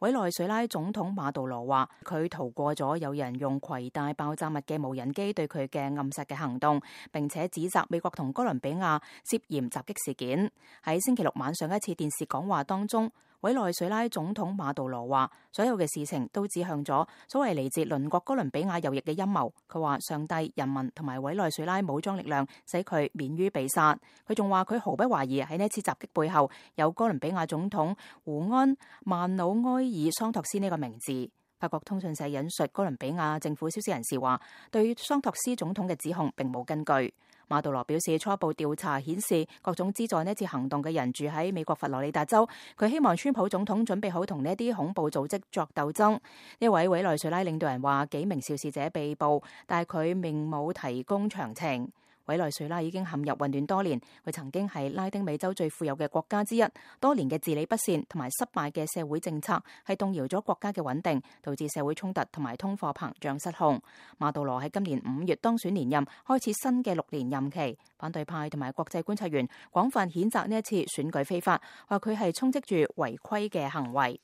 委內瑞拉總統馬杜羅話佢逃過咗有人用攜帶爆炸物嘅無人機對佢嘅暗殺嘅行動，並且指責美國同哥倫比亞涉嫌襲擊事件。喺星期六晚上一次電視講話當中，委內瑞拉總統馬杜羅話所有嘅事情都指向咗所謂嚟自鄰國哥倫比亞右翼嘅陰謀。佢話上帝、人民同埋委內瑞拉武裝力量使佢免於被殺。佢仲話佢毫不懷疑喺呢次襲擊背後有哥倫比亞總統胡安曼努埃爾桑托斯呢個名字。法國通訊社引述哥倫比亞政府消息人士話，對桑托斯總統嘅指控並冇根據。馬杜羅表示，初步調查顯示各種資助呢次行動嘅人住喺美國佛羅里達州。佢希望川普總統準備好同呢啲恐怖組織作鬥爭。呢位委內瑞拉領導人話幾名肇事者被捕，但係佢並冇提供詳情。委內瑞拉已經陷入混亂多年，佢曾經係拉丁美洲最富有嘅國家之一。多年嘅治理不善同埋失敗嘅社會政策係動搖咗國家嘅穩定，導致社會衝突同埋通貨膨脹失控。馬杜羅喺今年5月當選連任，開始新嘅6年任期。反對派同埋國際觀察員廣泛譴責呢一次選舉非法，話佢係充斥住違規嘅行為。